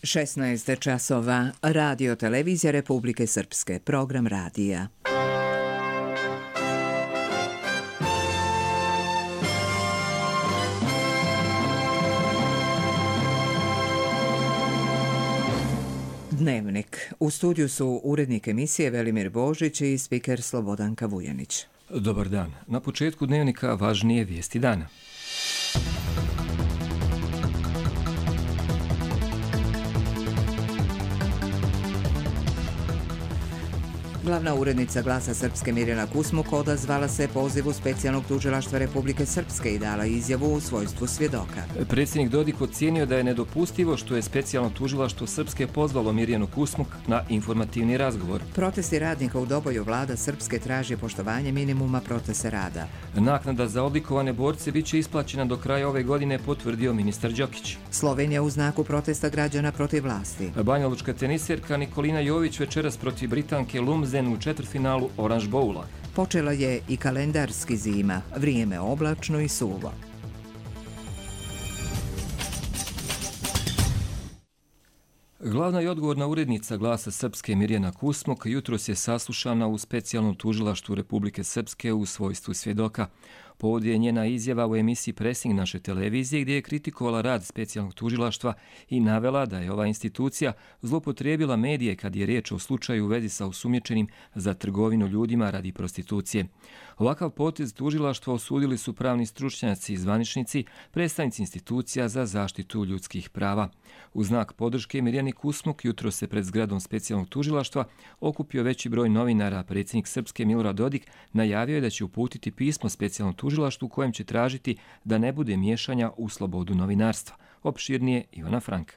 16 časova, Radio Televizija Republike Srpske, program radija. Dnevnik. U studiju su urednik emisije Velimir Božić i spiker Slobodanka Vujanić. Dobar dan. Na početku dnevnika važnije vijesti dana. Glavna urednica Glasa Srpske Mirjana Kusmuk odazvala se pozivu Specijalnog tužilaštva Republike Srpske i dala izjavu u svojstvu svjedoka. Predsjednik Dodik ocijenio da je nedopustivo što je Specijalno tužilaštvo Srpske pozvalo Mirjanu Kusmuk na informativni razgovor. Protesti radnika u Doboju vlada Srpske traži poštovanje minimuma protesta rada. Naknada za odlikovane borce biće isplaćena do kraja ove godine, potvrdio ministar Đokić. Slovenija u znaku protesta građana protiv vlasti. Banjalučka teniserka Nikolina Jović večeras protiv Britanke Lumsden u četvrtfinalu Orange Bowla. Počela je i kalendarski zima, vrijeme oblačno i suvo. Glavna i odgovorna urednica Glasa Srpske Mirjana Kusmuk jutros je saslušana u Specijalnom tužilaštvu Republike Srpske u svojstvu svjedoka. Povod je njena izjava u emisiji Pressing naše televizije gdje je kritikovala rad Specijalnog tužilaštva i navela da je ova institucija zloupotrijebila medije kad je riječ o slučaju u vezi sa osumnjičenim za trgovinu ljudima radi prostitucije. Ovakav potez tužilaštva osudili su pravni stručnjaci i zvaničnici, predstavnici institucija za zaštitu ljudskih prava. U znak podrške Mirjani Kusmuk jutros se pred zgradom Specijalnog tužilaštva okupio veći broj novinara. Predsjednik Srpske Milorad Dodik najavio je da će uputiti pismo Specijalnom tužilaštvu kojem će tražiti da ne bude miješanja u slobodu novinarstva. Opširnije Ivana Frank.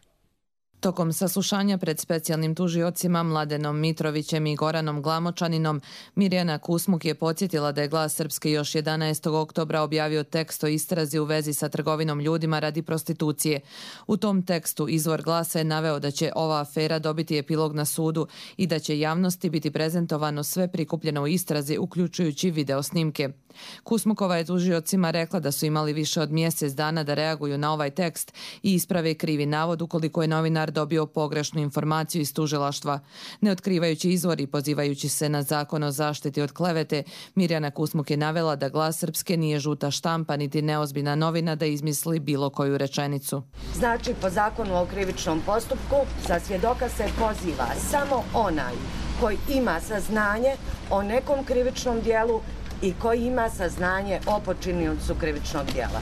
Tokom saslušanja pred specijalnim tužiocima Mladenom Mitrovićem i Goranom Glamočaninom, Mirjana Kusmuk je podsjetila da je Glas Srpske još 11. oktobra objavio tekst o istrazi u vezi sa trgovinom ljudima radi prostitucije. U tom tekstu izvor Glasa je naveo da će ova afera dobiti epilog na sudu i da će javnosti biti prezentovano sve prikupljeno u istrazi, uključujući video snimke. Kusmukova je tužiocima rekla da su imali više od mjesec dana da reaguju na ovaj tekst i isprave krivi navod ukoliko je novinar dobio pogrešnu informaciju iz tužilaštva. Ne otkrivajući izvor i pozivajući se na zakon o zaštiti od klevete, Mirjana Kusmuk je navela da Glas Srpske nije žuta štampa niti neozbiljna novina da izmisli bilo koju rečenicu. Znači, po zakonu o krivičnom postupku za svjedoka se poziva samo onaj koji ima saznanje o nekom krivičnom dijelu i koji ima saznanje o počiniocu krivičnog dijela.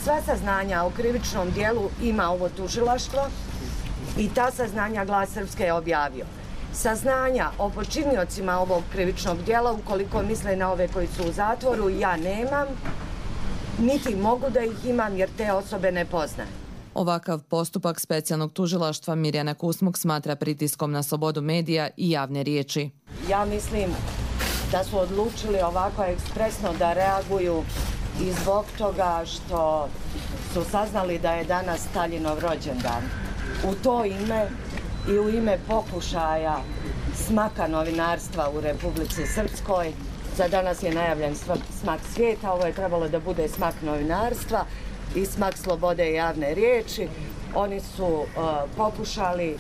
Sva saznanja o krivičnom dijelu ima ovo tužilaštvo i ta saznanja Glas Srpske je objavio. Saznanja o počiniocima ovog krivičnog dijela, ukoliko misle na ove koji su u zatvoru, ja nemam, niti mogu da ih imam jer te osobe ne poznajem. Ovakav postupak Specijalnog tužilaštva Mirjana Kusmuk smatra pritiskom na slobodu medija i javne riječi. Ja mislim da su odlučili ovako ekspresno da reaguju i zbog toga što su saznali da je danas Staljinov rođendan. U to ime i u ime pokušaja smaka novinarstva u Republici Srpskoj, za danas je najavljen smak svijeta, ovo je trebalo da bude smak novinarstva i smak slobode i javne riječi. Oni su pokušali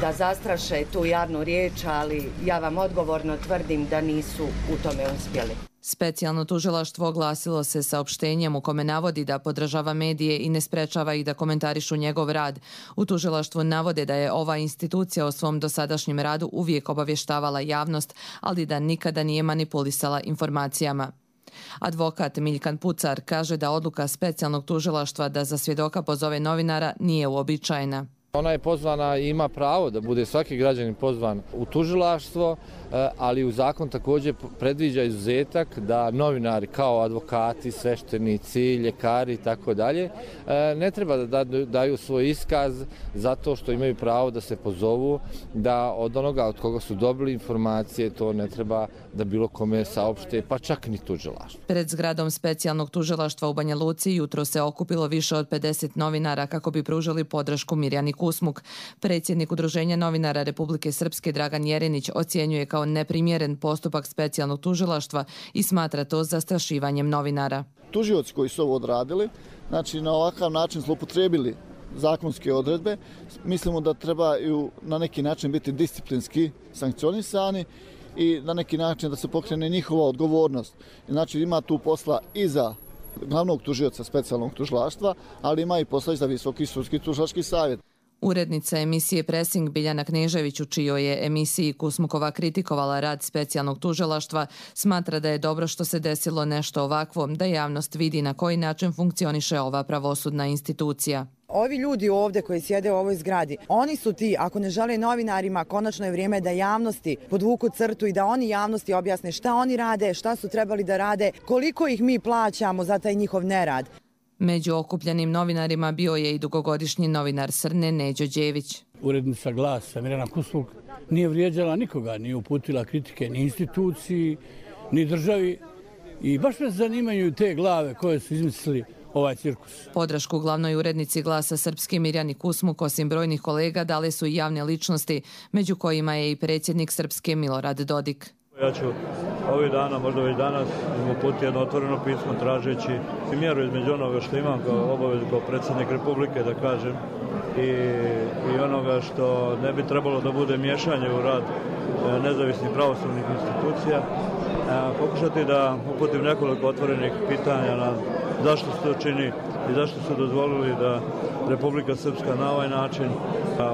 da zastraše tu javnu riječ, ali ja vam odgovorno tvrdim da nisu u tome uspjeli. Specijalno tužilaštvo oglasilo se saopštenjem u kome navodi da podržava medije i ne sprečava ih da komentarišu njegov rad. U tužilaštvu navode da je ova institucija o svom dosadašnjem radu uvijek obavještavala javnost, ali da nikada nije manipulisala informacijama. Advokat Miljkan Pucar kaže da odluka Specijalnog tužilaštva da za svjedoka pozove novinara nije uobičajena. Ona je pozvana i ima pravo da bude svaki građanin pozvan u tužilaštvo, ali u zakon također predviđa izuzetak da novinari kao advokati, sveštenici, ljekari i tako dalje ne treba da daju svoj iskaz zato što imaju pravo da se pozovu, da od onoga od koga su dobili informacije to ne treba da bilo kome saopšte, pa čak ni tužilaštvo. Pred zgradom Specijalnog tužilaštva u Banja Luci jutro se okupilo više od 50 novinara kako bi pružili podršku Mirjani Kusmuk. Predsjednik Udruženja novinara Republike Srpske Dragan Jerinić ocjenjuje kao neprimjeren postupak Specijalnog tužilaštva i smatra to zastrašivanjem novinara. Tužioci koji su ovo odradili, znači na ovakav način zloupotrijebili zakonske odredbe. Mislimo da trebaju na neki način biti disciplinski sankcionisani i na neki način da se pokrene njihova odgovornost. Znači ima tu posla i za glavnog tužioca specijalnog tužilaštva, ali ima i posla i za Visoki sudski tužilački savjet. Urednica emisije Pressing Biljana Knežević, u čijoj je emisiji Kusmukova kritikovala rad specijalnog tužilaštva, smatra da je dobro što se desilo nešto ovakvo, da javnost vidi na koji način funkcioniše ova pravosudna institucija. Ovi ljudi ovdje koji sjede u ovoj zgradi, oni su ti, ako ne žele novinarima, konačno je vrijeme da javnosti podvuku crtu i da oni javnosti objasne šta oni rade, šta su trebali da rade, koliko ih mi plaćamo za taj njihov nerad. Među okupljenim novinarima bio je i dugogodišnji novinar Srne Neđo Đević. Urednica Glasa Mirjana Kusmuk nije vrijeđala nikoga, nije uputila kritike ni instituciji, ni državi i baš me zanimaju te glave koje su izmislili ovaj cirkus. Podršku glavnoj urednici Glasa Srpske Mirjani Kusmuk, osim brojnih kolega, dale su i javne ličnosti, među kojima je i predsjednik Srpske Milorad Dodik. Ja ću ovih dana, možda već danas, uputiti jedno otvoreno pismo tražeći mjeru između onoga što imam kao obavezu kao predsjednik Republike, da kažem, i onoga što ne bi trebalo da bude miješanje u rad nezavisnih pravosudnih institucija. Pokušati da uputim nekoliko otvorenih pitanja na zašto se to čini i zašto su dozvolili da Republika Srpska na ovaj način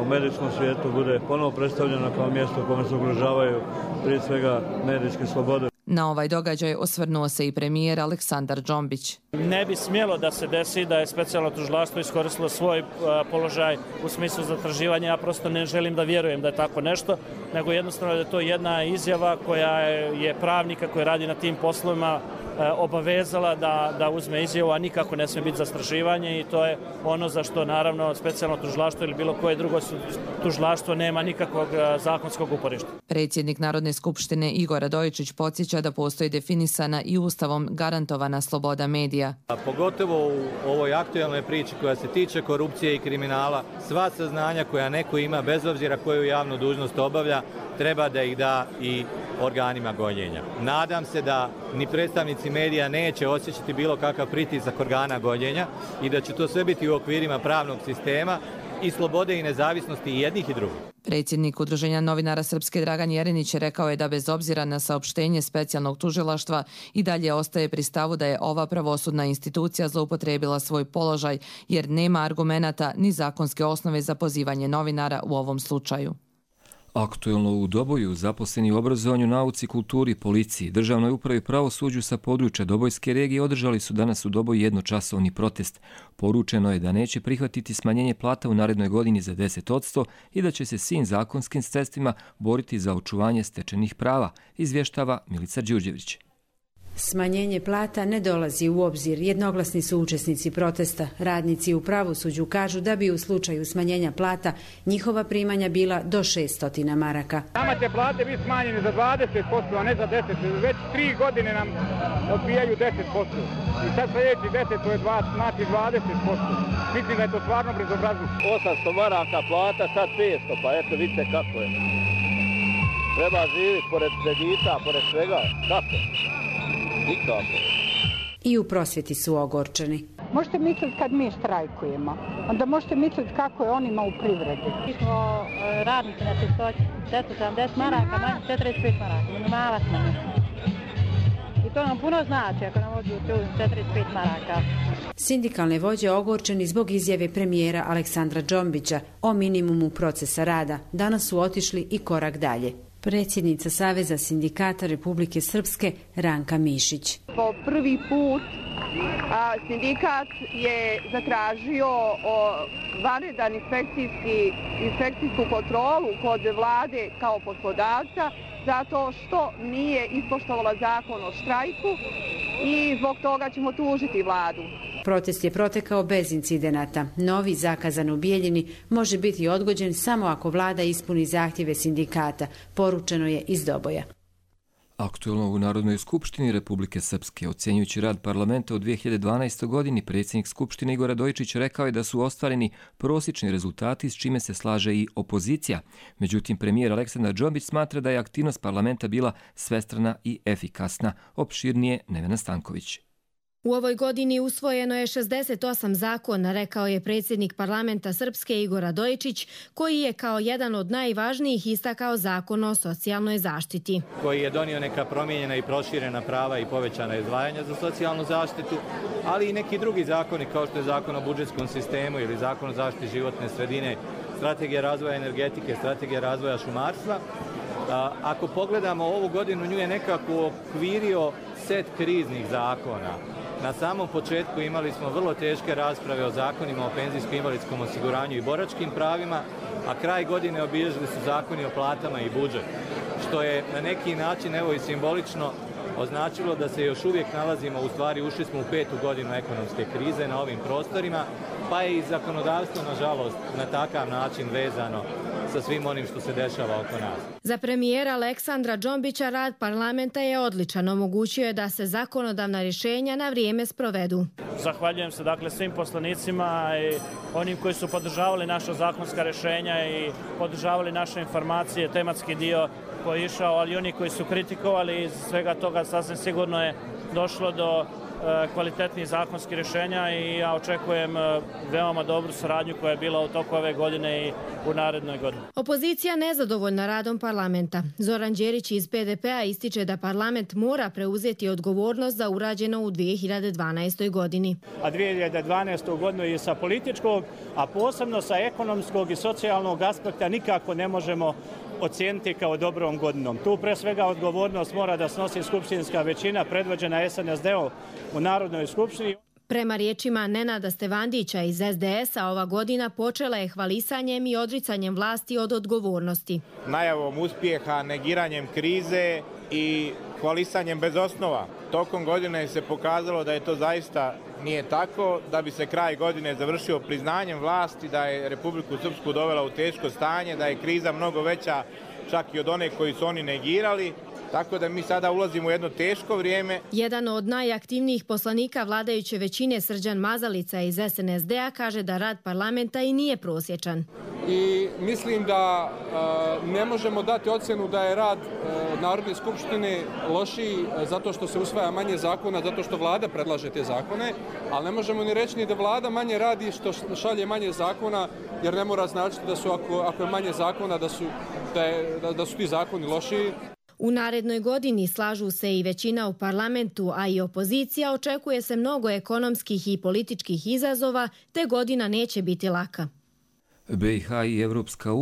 u medijskom svijetu bude ponovo predstavljena kao mjesto u kome se ugrožavaju prije svega medijske slobode. Na ovaj događaj osvrnuo se i premijer Aleksandar Džombić. Ne bi smjelo da se desi da je specijalno tužilaštvo iskoristilo svoj položaj u smislu zatraživanja. Ja prosto ne želim da vjerujem da je tako nešto, nego jednostavno da je to jedna izjava koja je pravnika koji radi na tim poslovima obavezala da uzme izjavu, a nikako ne smije biti zastrašivanje i to je ono za što naravno specijalno tužilaštvo ili bilo koje drugo tužilaštvo nema nikakvog zakonskog uporišta. Predsjednik Narodne skupštine Igor Radojičić podsjeća da postoji definisana i Ustavom garantovana sloboda medija. Pogotovo u ovoj aktualnoj priči koja se tiče korupcije i kriminala, sva saznanja koja neko ima, bez obzira koju javnu dužnost obavlja, treba da ih da i organima gonjenja. Nadam se da ni predstavnici medija neće osjećati bilo kakav pritisak organa gonjenja i da će to sve biti u okvirima pravnog sistema i slobode i nezavisnosti jednih i drugih. Predsjednik Udruženja novinara Srpske Dragan Jerinić rekao je da bez obzira na saopštenje specijalnog tužilaštva i dalje ostaje pri stavu da je ova pravosudna institucija zloupotrijebila svoj položaj jer nema argumenata ni zakonske osnove za pozivanje novinara u ovom slučaju. Aktuelno u Doboju zaposleni u obrazovanju, nauci, kulturi, policiji, državnoj upravi i pravosuđu sa područja Dobojske regije održali su danas u Doboju jednočasovni protest. Poručeno je da neće prihvatiti smanjenje plata u narednoj godini za 10% i da će se svim zakonskim sredstvima boriti za očuvanje stečenih prava, izvještava Milica Đurđević. Smanjenje plata ne dolazi u obzir. Jednoglasni su učesnici protesta. Radnici u pravosuđu kažu da bi u slučaju smanjenja plata njihova primanja bila do 600 maraka. Nama će plate biti smanjene za 20%, a ne za 10%. Već 3 godine nam odbijaju 10%. I sad sljedeći 10, to je znači 20%. Mislim da je to stvarno bezobrazno. 800 maraka plata, sad 500, pa eto vidite kako je. Treba živjeti pored kredita, pored svega. Kako? Nikako. I u prosvjeti su ogorčeni. Možete misliti kad mi štrajkujemo, onda možete misliti kako je onima u privredi. Mi smo radnici na čistoći, 470 maraka, manje 45 maraka, minimalac manje. I to nam puno znači ako nam odbiju 45 maraka. Sindikalne vođe ogorčeni zbog izjave premijera Aleksandra Džombića o minimumu procesa rada. Danas su otišli i korak dalje. Predsjednica Saveza sindikata Republike Srpske Ranka Mišić. Po prvi put sindikat je zatražio vanredan inspekcijsku kontrolu kod vlade kao poslodavca zato što nije ispoštovala zakon o štrajku i zbog toga ćemo tužiti vladu. Protest je protekao bez incidenata. Novi zakazan u Bijeljini može biti odgođen samo ako vlada ispuni zahtjeve sindikata, poručeno je iz Doboja. Aktuelno u Narodnoj skupštini Republike Srpske, ocjenjujući rad parlamenta u 2012. godini, predsjednik Skupštine Igor Radojičić rekao je da su ostvareni prosječni rezultati s čime se slaže i opozicija. Međutim, premijer Aleksandar Džombić smatra da je aktivnost parlamenta bila svestrana i efikasna. Opširnije Nevena Stanković. U ovoj godini usvojeno je 68 zakona, rekao je predsjednik parlamenta Srpske Igor Radojičić, koji je kao jedan od najvažnijih istakao zakon o socijalnoj zaštiti. Koji je donio neka promijenjena i proširena prava i povećana izdvajanja za socijalnu zaštitu, ali i neki drugi zakoni kao što je zakon o budžetskom sistemu ili zakon o zaštiti životne sredine, strategija razvoja energetike, strategija razvoja šumarstva. Ako pogledamo ovu godinu, nju je nekako okvirio set kriznih zakona. Na samom početku imali smo vrlo teške rasprave o zakonima o penzijsko-invalidskom osiguranju i boračkim pravima, a kraj godine obilježili su zakoni o platama i budžet, što je na neki način, evo i simbolično, označilo da se još uvijek nalazimo, u stvari ušli smo u 5. godinu ekonomske krize na ovim prostorima, pa je i zakonodavstvo, nažalost, na takav način vezano sa svim onim što se dešava oko nas. Za premijera Aleksandra Džombića rad parlamenta je odličan, omogućio je da se zakonodavna rješenja na vrijeme sprovedu. Zahvaljujem se svim poslanicima i onim koji su podržavali naša zakonska rješenja i podržavali naše informacije, tematski dio koji je išao, ali i oni koji su kritikovali. Iz svega toga sasvim sigurno je došlo do kvalitetnih zakonskih rješenja i ja očekujem veoma dobru saradnju koja je bila u toku ove godine i u narednoj godini. Opozicija nezadovoljna radom parlamenta. Zoran Đerić iz PDP-a ističe da parlament mora preuzeti odgovornost za urađeno u 2012. godini. A 2012. godinu i sa političkog, a posebno sa ekonomskog i socijalnog aspekta nikako ne možemo ocijeniti kao dobrom godinom. Tu pre svega odgovornost mora da snosi skupštinska većina predvođena SNSD-om u Narodnoj skupštini. Prema riječima Nenada Stevandića iz SDS-a, ova godina počela je hvalisanjem i odricanjem vlasti od odgovornosti. Najavom uspjeha, negiranjem krize i hvalisanjem bez osnova. Tokom godine se pokazalo da je to zaista nije tako, da bi se kraj godine završio priznanjem vlasti da je Republiku Srpsku dovela u teško stanje, da je kriza mnogo veća čak i od one koji su oni negirali. Tako da mi sada ulazimo u jedno teško vrijeme. Jedan od najaktivnijih poslanika vladajuće većine, Srđan Mazalica iz SNSD-a, kaže da rad parlamenta i nije prosječan. I mislim da ne možemo dati ocjenu da je rad Narodne skupštine lošiji zato što se usvaja manje zakona, zato što vlada predlaže te zakone, ali ne možemo ni reći ni da vlada manje radi što šalje manje zakona, jer ne mora značiti da su, ako je manje zakona, da su ti zakoni lošiji. U narednoj godini slažu se i većina u parlamentu, a i opozicija. Očekuje se mnogo ekonomskih i političkih izazova, te godina neće biti laka. BiH i Evropska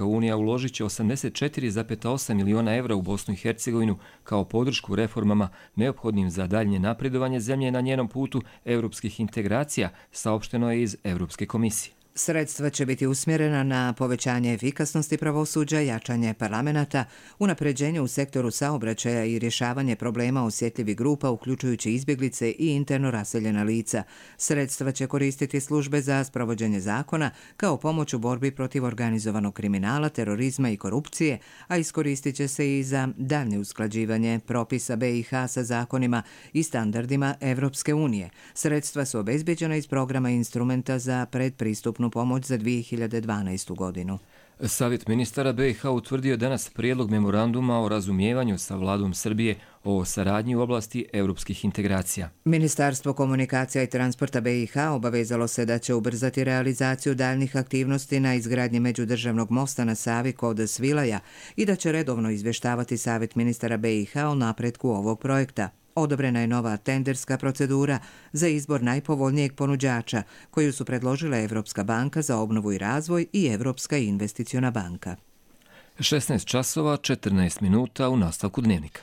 unija uložit će 84,8 miliona evra u Bosnu i Hercegovinu kao podršku reformama neophodnim za daljnje napredovanje zemlje na njenom putu evropskih integracija, saopšteno je iz Evropske komisije. Sredstva će biti usmjerena na povećanje efikasnosti pravosuđa, jačanje parlamenta, unapređenje u sektoru saobraćaja i rješavanje problema osjetljivih grupa, uključujući izbjeglice i interno raseljena lica. Sredstva će koristiti službe za sprovođenje zakona kao pomoć u borbi protiv organizovanog kriminala, terorizma i korupcije, a iskoristit će se i za daljnje usklađivanje propisa BiH sa zakonima i standardima Evropske unije. Sredstva su obezbeđena iz programa instrumenta za predpristupnu pomoć za 2012. godinu. Savjet ministara BiH utvrdio danas prijedlog memoranduma o razumijevanju sa vladom Srbije o saradnji u oblasti europskih integracija. Ministarstvo komunikacija i transporta BiH obavezalo se da će ubrzati realizaciju daljnih aktivnosti na izgradnji međudržavnog mosta na Savi kod Svilaja i da će redovno izvještavati Savjet ministara BiH o napretku ovog projekta. Odobrena je nova tenderska procedura za izbor najpovoljnijeg ponuđača koju su predložile Evropska banka za obnovu i razvoj i Evropska investiciona banka. 16 časova 14 minuta u nastavku dnevnika.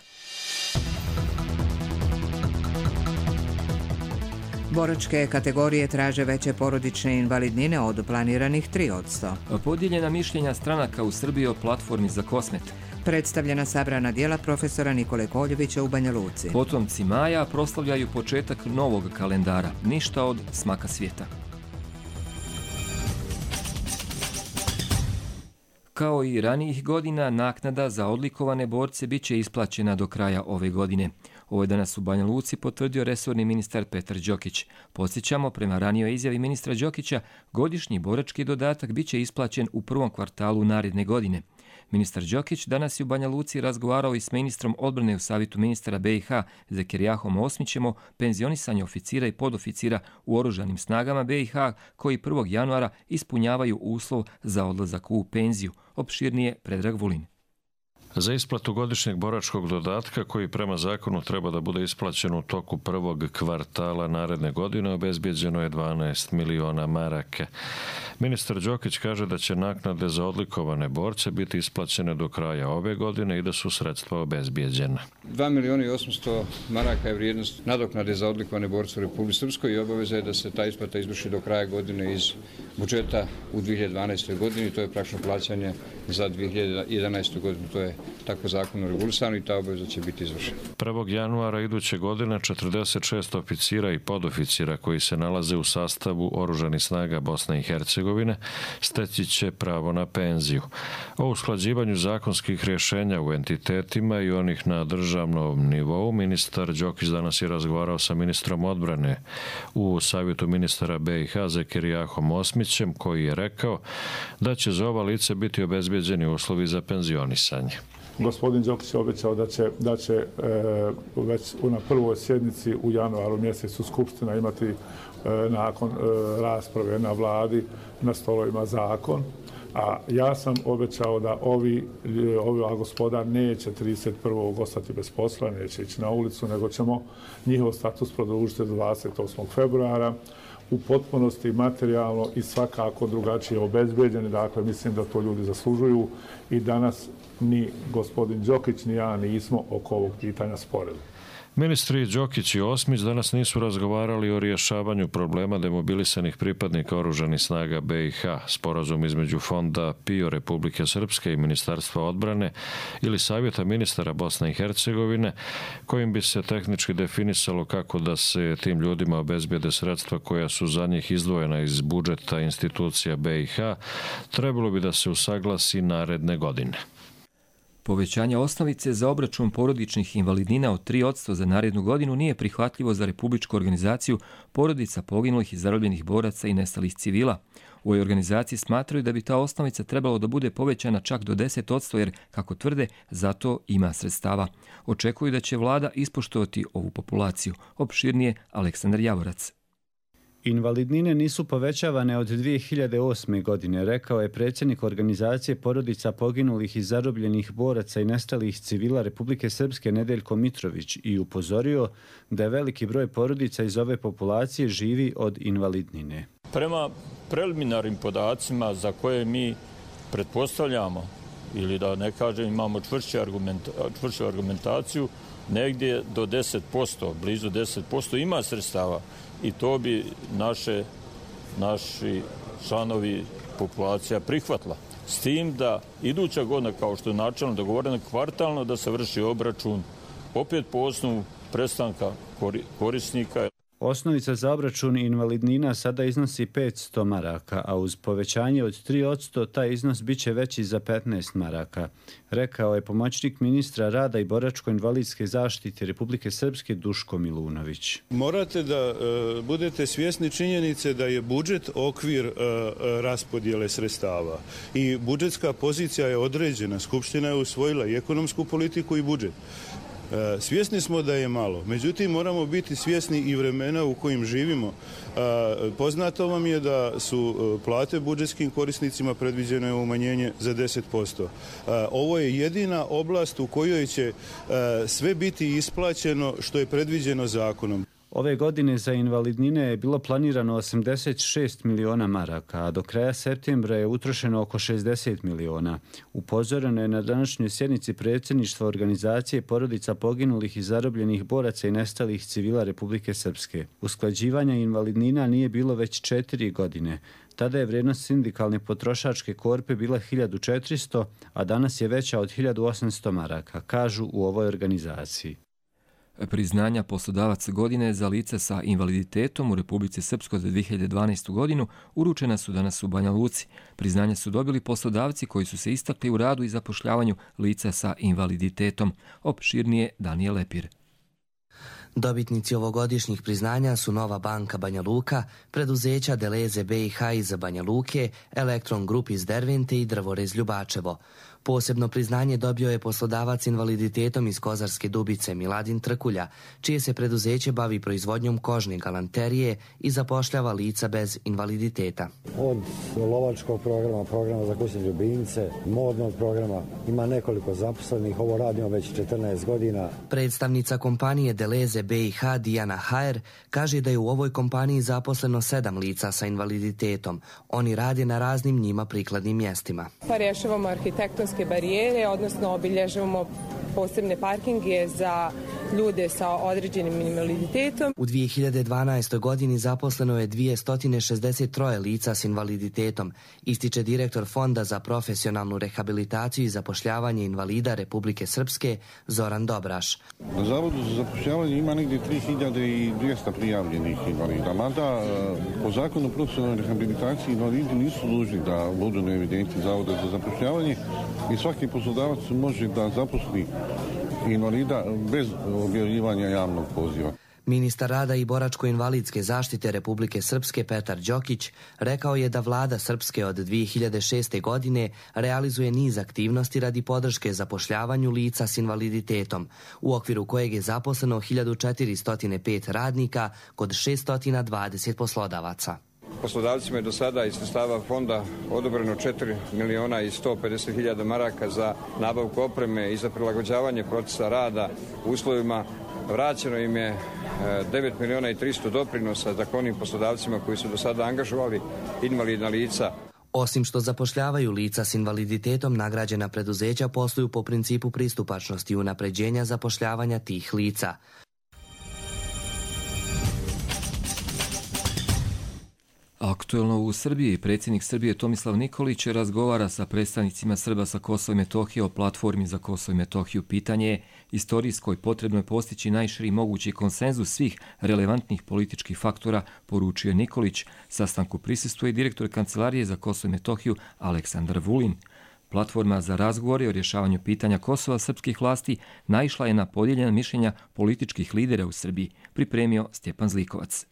Boračke kategorije traže veće porodične invalidnine od planiranih 3%. Podijeljena mišljenja stranaka u Srbiji o platformi za Kosmet. Predstavljena sabrana djela profesora Nikole Koljevića u Banja Luci. Potomci Maja proslavljaju početak novog kalendara. Ništa od smaka svijeta. Kao i ranijih godina, naknada za odlikovane borce bit će isplaćena do kraja ove godine. Ovo je danas u Banja Luci potvrdio resorni ministar Petar Đokić. Podsjećamo, prema ranijoj izjavi ministra Đokića, godišnji borački dodatak bit će isplaćen u prvom kvartalu naredne godine. Ministar Đokić danas je u Banja Luci razgovarao i s ministrom odbrane u Savjetu ministara BiH Zekerijahom Osmićem o penzionisanju oficira i podoficira u oružanim snagama BiH koji 1. januara ispunjavaju uslov za odlazak u penziju. Opširnije Predrag Vulin. Za isplatu godišnjeg boračkog dodatka, koji prema zakonu treba da bude isplaćen u toku prvog kvartala naredne godine, obezbijeđeno je 12 miliona maraka. Ministar Đokić kaže da će naknade za odlikovane borce biti isplaćene do kraja ove godine i da su sredstva obezbijeđena. 2 miliona i 800 maraka je vrijednost nadoknade za odlikovane borce u Republici Srpskoj i obaveza je da se ta isplata izvrši do kraja godine iz budžeta u 2012. godini. To je praktično plaćanje za 2011. godinu. To je tako zakonom regulisano i ta obaveza će biti izvršena. 1. januara iduće godine 46 oficira i podoficira koji se nalaze u sastavu Oružanih snaga Bosne i Hercegovine steći će pravo na penziju. O usklađivanju zakonskih rješenja u entitetima i onih na državnom nivou ministar Đokić danas je razgovarao sa ministrom odbrane u Savjetu ministara BiH Zekerijahom Osmićem, koji je rekao da će za ova lice biti obezbijeđeni uslovi za penzionisanje. Gospodin Đokić je obećao da će već na prvoj sjednici u januaru mjesecu Skupština imati nakon rasprave na vladi na stolovima zakon. A ja sam obećao da ova gospoda neće 31. ostati bez posla, neće ići na ulicu, nego ćemo njihov status produžiti do 28. februara u potpunosti materijalno i svakako drugačije obezbeđeni. Dakle, mislim da to ljudi zaslužuju i danas ni gospodin Đokić ni ja nismo oko ovog pitanja sporili. Ministri Đokić i Osmić danas nisu razgovarali o rješavanju problema demobilisanih pripadnika Oružanih snaga BiH. Sporazum između Fonda PIO Republike Srpske i Ministarstva odbrane ili Savjeta ministara Bosne i Hercegovine, kojim bi se tehnički definisalo kako da se tim ljudima obezbijede sredstva koja su za njih izdvojena iz budžeta institucija BiH, trebalo bi da se usaglasi naredne godine. Povećanje osnovice za obračun porodičnih invalidnina od 3% za narednu godinu nije prihvatljivo za Republičku organizaciju porodica poginulih i zarobljenih boraca i nestalih civila. U ovoj organizaciji smatraju da bi ta osnovica trebalo da bude povećana čak do 10%, jer, kako tvrde, zato ima sredstava. Očekuju da će vlada ispoštovati ovu populaciju. Opširnije Aleksandar Javorac. Invalidnine nisu povećavane od 2008. godine, rekao je predsjednik organizacije porodica poginulih i zarobljenih boraca i nestalih civila Republike Srpske Nedeljko Mitrović i upozorio da je veliki broj porodica iz ove populacije živi od invalidnine. Prema preliminarnim podacima za koje mi pretpostavljamo, ili da ne kažem imamo čvršću argumentaciju, negdje do 10%, blizu 10% ima sredstava. I to bi naši članovi populacija prihvatila. S tim da iduća godina, kao što je načelno dogovoreno, kvartalno da se vrši obračun opet po osnovu prestanka korisnika. Osnovica za obračun invalidnina sada iznosi 500 maraka, a uz povećanje od 3% taj iznos biće veći za 15 maraka, rekao je pomoćnik ministra rada i boračko-invalidske zaštite Republike Srpske Duško Milunović. Morate da budete svjesni činjenice da je budžet okvir raspodjele sredstava i budžetska pozicija je određena. Skupština je usvojila i ekonomsku politiku i budžet. Svjesni smo da je malo, međutim moramo biti svjesni i vremena u kojim živimo. Poznato vam je da su plate budžetskim korisnicima predviđene umanjenje za 10%. Ovo je jedina oblast u kojoj će sve biti isplaćeno što je predviđeno zakonom. Ove godine za invalidnine je bilo planirano 86 miliona maraka, a do kraja septembra je utrošeno oko 60 miliona. Upozoreno je na današnjoj sjednici predsjedništva organizacije porodica poginulih i zarobljenih boraca i nestalih civila Republike Srpske. Usklađivanja invalidnina nije bilo već 4 godine. Tada je vrijednost sindikalne potrošačke korpe bila 1400, a danas je veća od 1800 maraka, kažu u ovoj organizaciji. Priznanja poslodavaca godine za lice sa invaliditetom u Republici Srpskoj za 2012. godinu uručena su danas u Banja Luci. Priznanja su dobili poslodavci koji su se istakli u radu i zapošljavanju lica sa invaliditetom. Opširnije Danijel Lepir. Dobitnici ovogodišnjih priznanja su Nova banka Banja Luka, preduzeća Deleze BiH iz Banja Luke, Elektron Grup iz Dervente i Drvorez Ljubačevo. Posebno priznanje dobio je poslodavac invaliditetom iz Kozarske Dubice Miladin Trkulja, čije se preduzeće bavi proizvodnjom kožne galanterije i zapošljava lica bez invaliditeta. Od lovačkog programa, programa za kućne ljubimce, modnog programa, ima nekoliko zaposlenih, ovo radimo već 14 godina. Predstavnica kompanije Deleze BiH Dijana Hajer kaže da je u ovoj kompaniji zaposleno 7 lica sa invaliditetom. Oni rade na raznim njima prikladnim mjestima. Pa rješavamo arhitektonske barijere, odnosno obilježavamo posebne parkinge za ljude sa određenim invaliditetom. U 2012. godini zaposleno je 263 lica s invaliditetom, ističe direktor Fonda za profesionalnu rehabilitaciju i zapošljavanje invalida Republike Srpske Zoran Dobraš. Na Zavodu za zapošljavanje ima negdje 3200 prijavljenih invalida, mada po zakonu o profesionalnoj rehabilitaciji invalidi nisu dužni da budu na evidenciji Zavoda za zapošljavanje i svaki poslodavac može da zaposli invalida bez objavljivanja javnog poziva. Ministar rada i boračko-invalidske zaštite Republike Srpske Petar Đokić rekao je da vlada Srpske od 2006. godine realizuje niz aktivnosti radi podrške zapošljavanju lica s invaliditetom, u okviru kojeg je zaposleno 1405 radnika kod 620 poslodavaca. Poslodavcima je do sada iz sredstava fonda odobreno 4.150.000 maraka za nabavku opreme i za prilagođavanje procesa rada uslovima. Vraćeno im je 9.300.000 doprinosa za onim poslodavcima koji su do sada angažovali invalidna lica. Osim što zapošljavaju lica s invaliditetom, nagrađena preduzeća posluju po principu pristupačnosti i unapređenja zapošljavanja tih lica. Aktuelno u Srbiji, predsjednik Srbije Tomislav Nikolić razgovara sa predstavnicima Srba sa Kosova i Metohije o platformi za Kosovo i Metohiju. Pitanje je istorijsko i potrebno je postići najširi mogući konsenzus svih relevantnih političkih faktora, poručio Nikolić. Sastanku prisustvuje direktor Kancelarije za Kosovo i Metohiju Aleksandar Vulin. Platforma za razgovore o rješavanju pitanja Kosova srpskih vlasti naišla je na podijeljena mišljenja političkih lidera u Srbiji, pripremio Stjepan Zlikovac.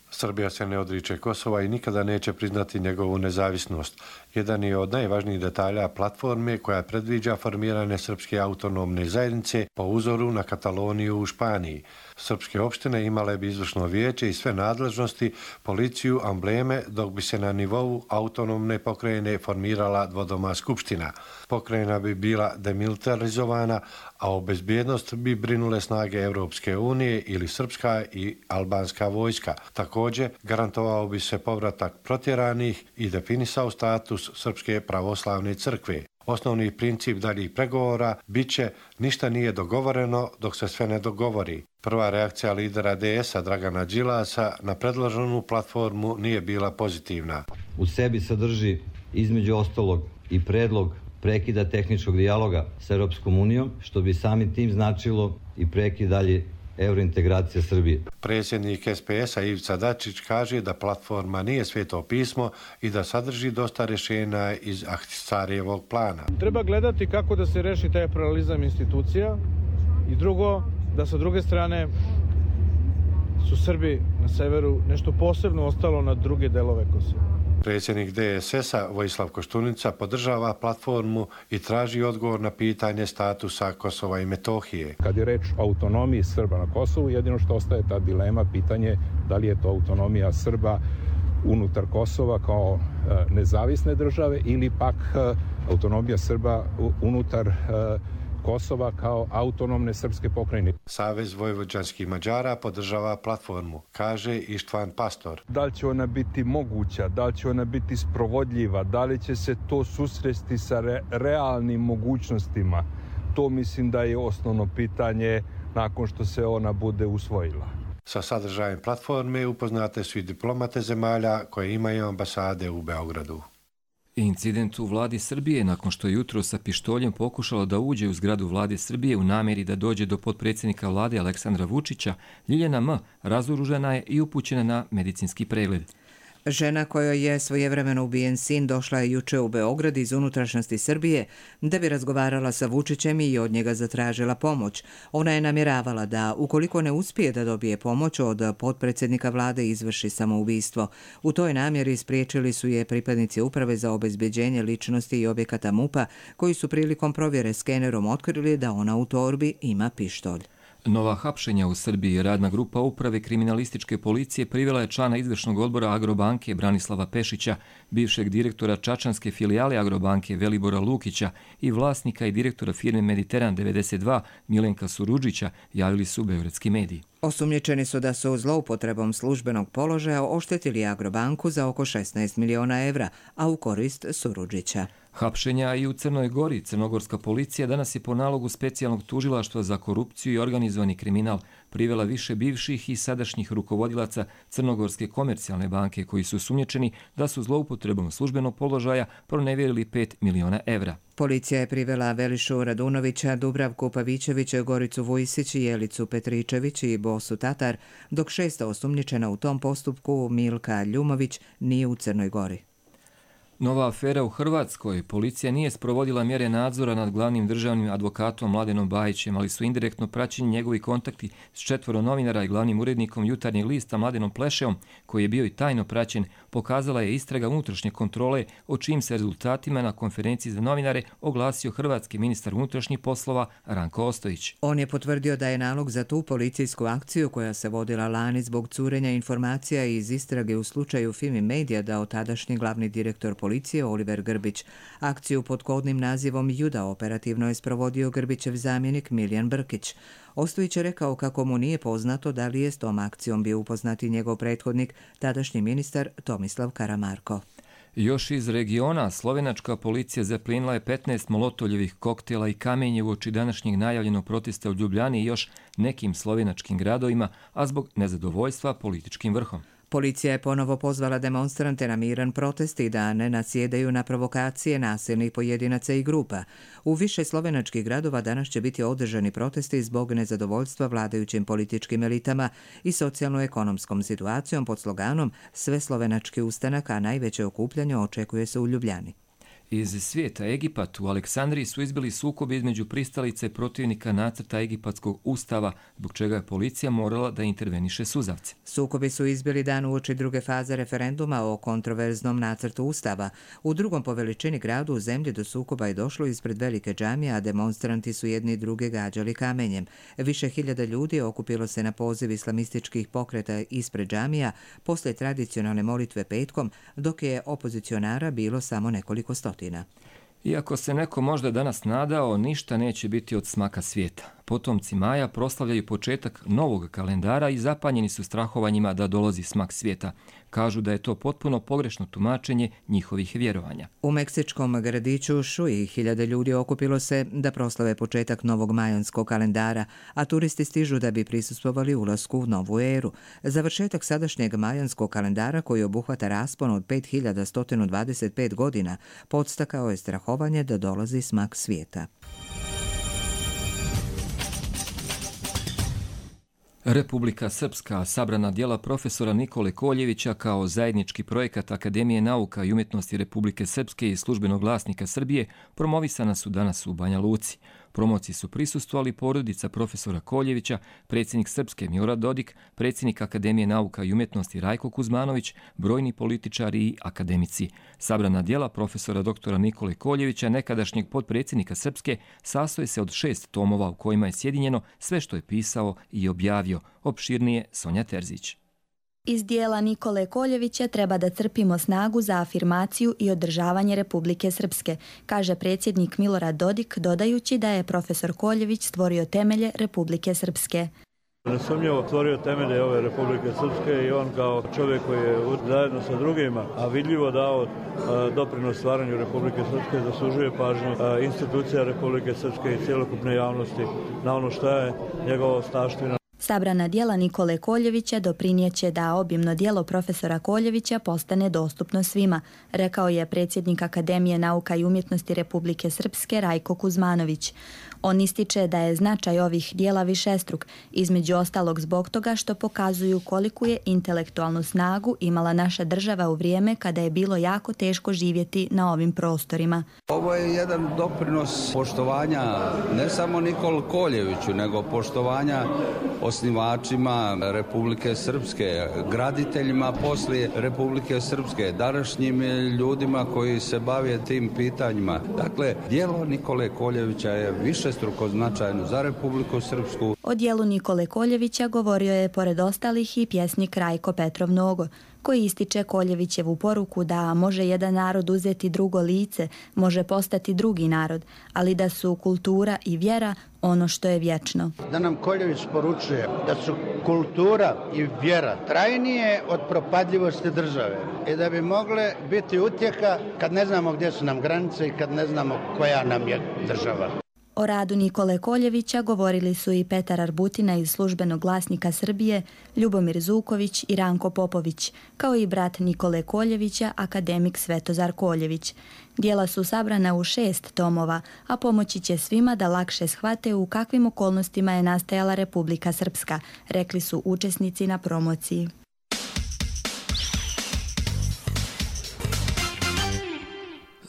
Srbija se ne odriče Kosova i nikada neće priznati njegovu nezavisnost. Jedan je od najvažnijih detalja platforme koja predviđa formiranje Srpske autonomne zajednice po uzoru na Kataloniju u Španiji. Srpske opštine imale bi izvršno vijeće i sve nadležnosti, policiju, ambleme, dok bi se na nivou autonomne pokrajine formirala dvodoma skupština. Pokrajina bi bila demilitarizovana, a o bezbjednost bi brinule snage Europske unije ili srpska i albanska vojska. Također, garantovao bi se povratak protjeranih i definisao status Srpske pravoslavne crkve. Osnovni princip daljih pregovora bit će ništa nije dogovoreno dok se sve ne dogovori. Prva reakcija lidera DS-a Dragana Đilasa na predloženu platformu nije bila pozitivna. U sebi sadrži između ostalog i predlog prekida tehničkog dijaloga s Europskom unijom, što bi samim tim značilo i prekid dalje eurointegracija Srbije. Predsjednik SPS-a Ivica Dačić kaže da platforma nije sveto pismo i da sadrži dosta rješenja iz Ahtisarijevog plana. Treba gledati kako da se reši taj pluralizam institucija i drugo, da sa druge strane su Srbi na severu nešto posebno ostalo na druge delove Kosova. Predsjednik DSS-a Vojislav Koštunica podržava platformu i traži odgovor na pitanje statusa Kosova i Metohije. Kad je reč o autonomiji Srba na Kosovu, jedino što ostaje ta dilema, pitanje da li je to autonomija Srba unutar Kosova kao nezavisne države ili pak autonomija Srba unutar Kosova kao autonomne srpske pokrajine. Savez vojvođanskih Mađara podržava platformu, kaže Ištvan Pastor. Da li će ona biti moguća, da li će ona biti sprovodljiva, da li će se to susresti sa realnim mogućnostima, to mislim da je osnovno pitanje nakon što se ona bude usvojila. Sa sadržajem platforme upoznate su i diplomate zemalja koje imaju ambasade u Beogradu. Incident u vladi Srbije nakon što je jutro sa pištoljem pokušalo da uđe u zgradu vlade Srbije u namjeri da dođe do potpredsjednika vlade Aleksandra Vučića, Ljiljana M. razoružana je i upućena na medicinski pregled. Žena kojoj je svojevremeno ubijen sin došla je juče u Beograd iz unutrašnjosti Srbije da bi razgovarala sa Vučićem i od njega zatražila pomoć. Ona je namjeravala da, ukoliko ne uspije da dobije pomoć od potpredsjednika vlade, izvrši samoubistvo. U toj namjeri spriječili su je pripadnici Uprave za obezbeđenje ličnosti i objekata MUP-a, koji su prilikom provjere skenerom otkrili da ona u torbi ima pištolj. Nova hapšenja u Srbiji. Radna grupa Uprave kriminalističke policije privela je člana izvršnog odbora Agrobanke Branislava Pešića, bivšeg direktora čačanske filijale Agrobanke Velibora Lukića i vlasnika i direktora firme Mediteran 92 Milenka Surudžića, javili su beogradski mediji. Osumnjičeni su da su zloupotrebom službenog položaja oštetili Agrobanku za oko 16 miliona evra, a u korist Surudžića. Hapšenja i u Crnoj Gori. Crnogorska policija danas je po nalogu specijalnog tužilaštva za korupciju i organizovani kriminal privela više bivših i sadašnjih rukovodilaca Crnogorske komercijalne banke koji su sumnjičeni da su zloupotrebom službenog položaja pronevjerili 5 miliona evra. Policija je privela Velišu Radunovića, Dubravku Pavićevića, Goricu Vujsić, Jelicu Petričević i Bosu Tatar, dok 6 osumnjičena u tom postupku, Milka Ljumović, nije u Crnoj Gori. Nova afera u Hrvatskoj. Policija nije sprovodila mjere nadzora nad glavnim državnim advokatom Mladenom Bajićem, ali su indirektno praćeni njegovi kontakti s 4 novinara i glavnim urednikom Jutarnjeg lista Mladenom Plešeom, koji je bio i tajno praćen, pokazala je istraga unutrašnje kontrole, o čijim se rezultatima na konferenciji za novinare oglasio hrvatski ministar unutrašnjih poslova Ranko Ostojić. On je potvrdio da je nalog za tu policijsku akciju, koja se vodila lani zbog curenja informacija iz istrage u slučaju Fimi Media, dao tadašnji glavni direktor policije Oliver Grbić. Akciju pod kodnim nazivom Juda operativno je sprovodio Grbićev zamjenik Miljan Brkić. Ostojić je rekao kako mu nije poznato da li je s tom akcijom bio upoznati njegov prethodnik, tadašnji ministar Tomislav Karamarko. Još iz regiona, slovenačka policija zaplinila je 15 molotovljevih koktela i kamenje uoči današnjeg najavljenog protesta u Ljubljani i još nekim slovenačkim gradovima, a zbog nezadovoljstva političkim vrhom. Policija je ponovo pozvala demonstrante na miran protest i da ne nasjedaju na provokacije nasilnih pojedinaca i grupa. U više slovenačkih gradova danas će biti održani protesti zbog nezadovoljstva vladajućim političkim elitama i socijalno-ekonomskom situacijom pod sloganom Sve slovenački ustanak, a najveće okupljanje očekuje se u Ljubljani. Iz svijeta. Egipat. U Aleksandriji su izbili sukobi između pristalice protivnika nacrta egipatskog ustava, zbog čega je policija morala da interveniše suzavce. Sukobi su izbili dan uoči druge faze referenduma o kontroverznom nacrtu ustava. U drugom po veličini gradu u zemlji do sukoba je došlo ispred velike džamije, a demonstranti su jedni druge gađali kamenjem. Više hiljada ljudi okupilo se na poziv islamističkih pokreta ispred džamija poslije tradicionalne molitve petkom, dok je opozicionara bilo samo nekoliko stotina. Iako se neko možda danas nadao, ništa neće biti od smaka svijeta. Potomci Maja proslavljaju početak novog kalendara i zapanjeni su strahovanjima da dolazi smak svijeta. Kažu da je to potpuno pogrešno tumačenje njihovih vjerovanja. U meksičkom gradiću Šuji hiljade ljudi okupilo se da proslave početak novog majanskog kalendara, a turisti stižu da bi prisustvovali ulasku u novu eru. Završetak sadašnjeg majanskog kalendara, koji obuhvata raspon od 5125 godina, podstakao je strahovanje da dolazi smak svijeta. Republika Srpska. Sabrana djela profesora Nikole Koljevića kao zajednički projekat Akademije nauka i umjetnosti Republike Srpske i Službenog glasnika Srbije promovisana su danas u Banja Luci. Promociji su prisustvovali porodica profesora Koljevića, predsjednik Srpske Milorad Dodik, predsjednik Akademije nauka i umjetnosti Rajko Kuzmanović, brojni političari i akademici. Sabrana djela profesora doktora Nikole Koljevića, nekadašnjeg potpredsjednika Srpske, sastoji se od 6 tomova u kojima je sjedinjeno sve što je pisao i objavio. Opširnije Sonja Terzić. Iz dijela Nikole Koljevića treba da crpimo snagu za afirmaciju i održavanje Republike Srpske, kaže predsjednik Milorad Dodik, dodajući da je profesor Koljević stvorio temelje Republike Srpske. Nesumnjivo stvorio temelje ove Republike Srpske i on kao čovjek koji je zajedno sa drugima, a vidljivo dao doprinos stvaranju Republike Srpske, zaslužuje pažnju institucija Republike Srpske i cjelokupne javnosti na ono što je njegova ostavština. Sabrana djela Nikole Koljevića doprinijeće da obimno djelo profesora Koljevića postane dostupno svima, rekao je predsjednik Akademije nauka i umjetnosti Republike Srpske Rajko Kuzmanović. On ističe da je značaj ovih djela višestruk, između ostalog zbog toga što pokazuju koliku je intelektualnu snagu imala naša država u vrijeme kada je bilo jako teško živjeti na ovim prostorima. Ovo je jedan doprinos poštovanja ne samo Nikoli Koljeviću, nego poštovanja osnivačima Republike Srpske, graditeljima poslije Republike Srpske, današnjim ljudima koji se bave tim pitanjima. Dakle, djelo Nikole Koljevića je višestruko značajno za Republiku Srpsku. O djelu Nikole Koljevića govorio je pored ostalih i pjesnik Rajko Petrov Nogo, koji ističe Koljevićevu poruku da može jedan narod uzeti drugo lice, može postati drugi narod, ali da su kultura i vjera ono što je vječno. Da nam Koljević poručuje da su kultura i vjera trajnije od propadljivosti države i da bi mogle biti utjeha kad ne znamo gdje su nam granice i kad ne znamo koja nam je država. O radu Nikole Koljevića govorili su i Petar Arbutina iz Službenog glasnika Srbije, Ljubomir Zuković i Ranko Popović, kao i brat Nikole Koljevića, akademik Svetozar Koljević. Djela su sabrana u 6 tomova, a pomoći će svima da lakše shvate u kakvim okolnostima je nastajala Republika Srpska, rekli su učesnici na promociji.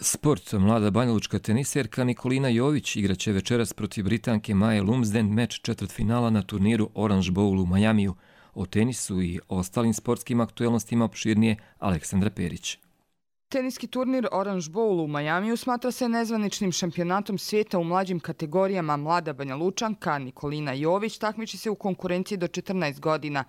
Sport. Mlada banjalučka teniserka Nikolina Jović igraće večeras protiv Britanke Maje Lumsden meč četvrtfinala na turniru Orange Bowl u Majamiju. O tenisu i ostalim sportskim aktuelnostima opširnije Aleksandra Perić. Teniski turnir Orange Bowl u Majamiju smatra se nezvaničnim šampionatom svijeta u mlađim kategorijama. Mlada Banjalučanka Nikolina Jović takmiči se u konkurenciji do 14 godina.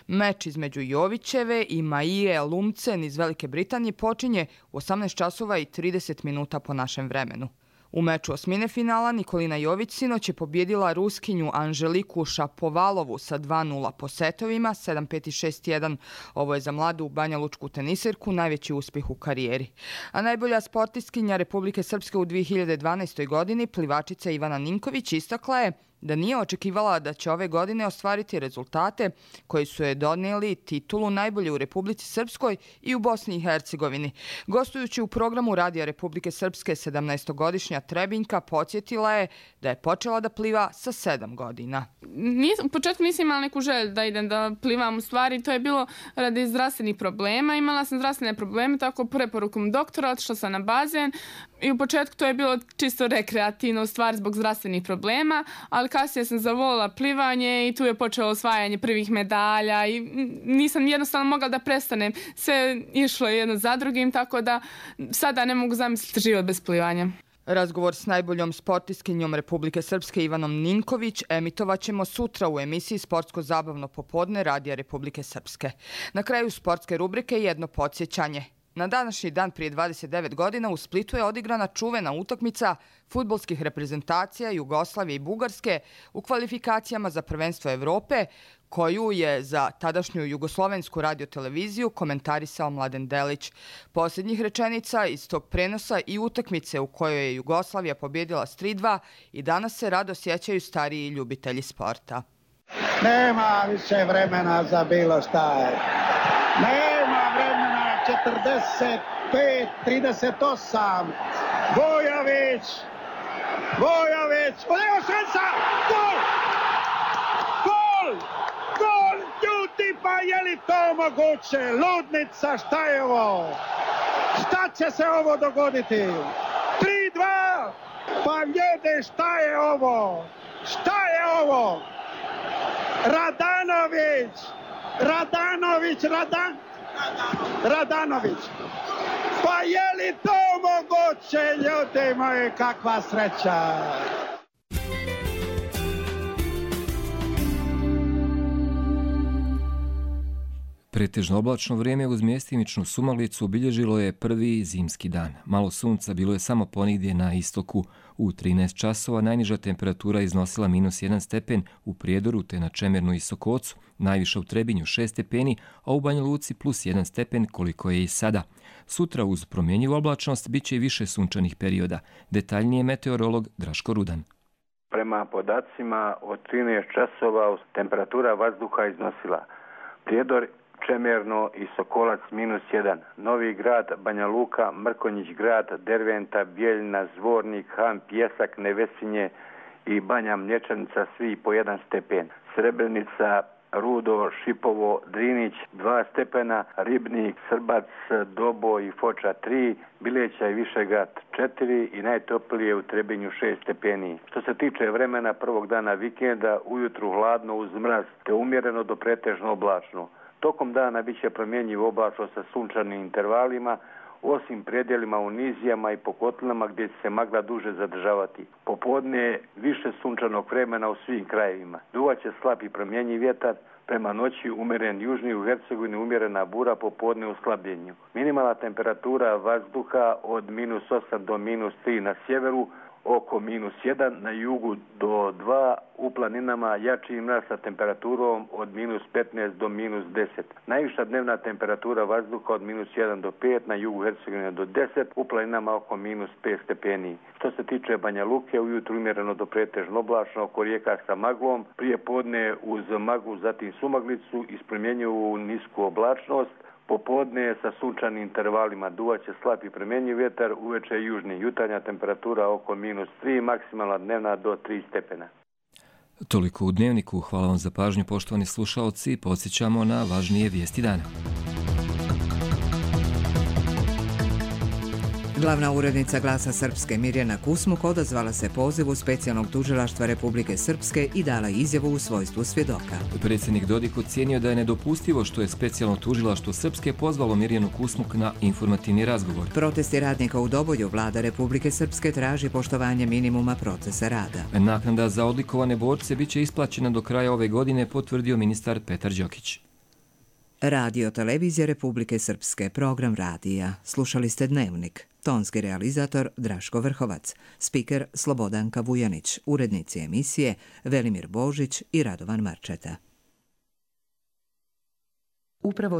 Meč između Jovićeve i Maije Lumsden iz Velike Britanije počinje u 18 časova i 30 minuta po našem vremenu. U meču osmine finala Nikolina Jović sinoć je pobjedila Ruskinju Anželiku Šapovalovu sa 2:0 po setovima, 7-5 i 6-1. Ovo je za mladu banjalučku teniserku najveći uspjeh u karijeri. A najbolja sportistkinja Republike Srpske u 2012. godini, plivačica Ivana Ninković, istakla je da nije očekivala da će ove godine ostvariti rezultate koji su je donijeli titulu najbolje u Republici Srpskoj i u Bosni i Hercegovini. Gostujući u programu Radija Republike Srpske, 17-godišnja Trebinjka podsjetila je da je počela da pliva sa 7 godina. U početku nisam imala neku želju da idem da plivam, u stvari to je bilo radi zdravstvenih problema. Imala sam zdravstvene probleme, tako preporukom doktora, otišla sam na bazen i u početku to je bilo čisto rekreativno, u stvari zbog zdravstvenih problema, ali kasnije sam zavolila plivanje i tu je počelo osvajanje prvih medalja i nisam jednostavno mogla da prestanem. Sve išlo jedno za drugim, tako da sada ne mogu zamisliti život bez plivanja. Razgovor s najboljom sportistkinjom Republike Srpske Ivanom Ninković emitovat ćemo sutra u emisiji Sportsko-zabavno popodne Radija Republike Srpske. Na kraju sportske rubrike jedno podsjećanje. Na današnji dan prije 29 godina u Splitu je odigrana čuvena utakmica fudbalskih reprezentacija Jugoslavije i Bugarske u kvalifikacijama za prvenstvo Evrope, koju je za tadašnju jugoslovensku radioteleviziju komentarisao Mladen Delić. Posljednjih rečenica iz tog prenosa i utakmice u kojoj je Jugoslavija pobjedila s 3:2 i danas se rado sjećaju stariji ljubitelji sporta. Nema više vremena za bilo šta. Nema vremena. 45-38. Vojović. Evo šansa. Gol! Ljudi, pa je li to moguće? Ludnica, šta je ovo? Šta će se ovo dogoditi? 3:2. Pa ljudi, šta je ovo? Radanović. Pa je li to moguće, ljudi moji, kakva sreća? Pretežno oblačno vrijeme uz mjestimičnu sumalicu obilježilo je prvi zimski dan. Malo sunca bilo je samo ponigdje na istoku. U 13 časova najniža temperatura iznosila -1 stepen u Prijedoru te na Čemernu i Sokocu, najviša u Trebinju 6 stepeni, a u Banja Luci +1 stepen koliko je i sada. Sutra uz promjenjivu oblačnost bit će i više sunčanih perioda. Detaljnije meteorolog Draško Rudan. Prema podacima od 13 časova temperatura vazduha iznosila Prijedor, Čemerno i Sokolac -1, Novi Grad, Banja Luka, Mrkonjić Grad, Derventa, Bijeljina, Zvornik, Han, Pjesak, Nevesinje i Banja Mlječanica svi po 1 stepen. Srebrenica, Rudo, Šipovo, Drinić 2 stepena, Ribnik, Srbac, Dobo i Foča 3, Bileća i Višegrad 4 i najtoplije u Trebinju 6 stepeni. Što se tiče vremena prvog dana vikenda, ujutru hladno uz mraz te umjereno do pretežno oblačno. Tokom dana bit će promjenjivo oblačno sa sunčanim intervalima, osim predjelima u nizijama i po kotlinama gdje će se magla duže zadržavati. Popodne više sunčanog vremena u svim krajevima. Duvaće slab i promjenjiv vjetar, prema noći umjeren južni, u Hercegovini umjerena bura, popodne u slabljenju. Minimalna temperatura vazduha od -8 do -3 na sjeveru, oko -1, na jugu do 2, u planinama jači mraz sa temperaturom od -15 do -10. Najviša dnevna temperatura vazduha od -1 do 5, na jugu Hercegovine do 10, u planinama oko -5 stepeni. Što se tiče Banja Luke, ujutru umjereno do pretežno oblačno, oko rijeka sa maglom, prije podne uz maglu, zatim sumaglicu, ispremjenjuju nisku oblačnost. Popodne sa sunčanim intervalima duvaće slab i promjenjiv vjetar, uveče južni. Jutarnja temperatura oko -3, maksimalna dnevna do 3 stepena. Toliko u Dnevniku. Hvala vam za pažnju, poštovani slušaoci. Podsjećamo na važnije vijesti dana. Glavna urednica Glasa Srpske Mirjana Kusmuk odazvala se pozivu specijalnog tužilaštva Republike Srpske i dala izjavu u svojstvu svjedoka. Predsjednik Dodik ocijenio da je nedopustivo što je specijalno tužilaštvo Srpske pozvalo Mirjanu Kusmuk na informativni razgovor. Protesti radnika u Dobolju vlada Republike Srpske traži poštovanje minimuma procesa rada. Naknada za odlikovane borce bit će isplaćena do kraja ove godine, potvrdio ministar Petar Đokić. Radio Televizija Republike Srpske, program radija. Slušali ste Dnevnik. Tonski realizator Draško Vrhovac, spiker Slobodanka Vujanić, urednici emisije Velimir Božić i Radovan Marčeta. Upravo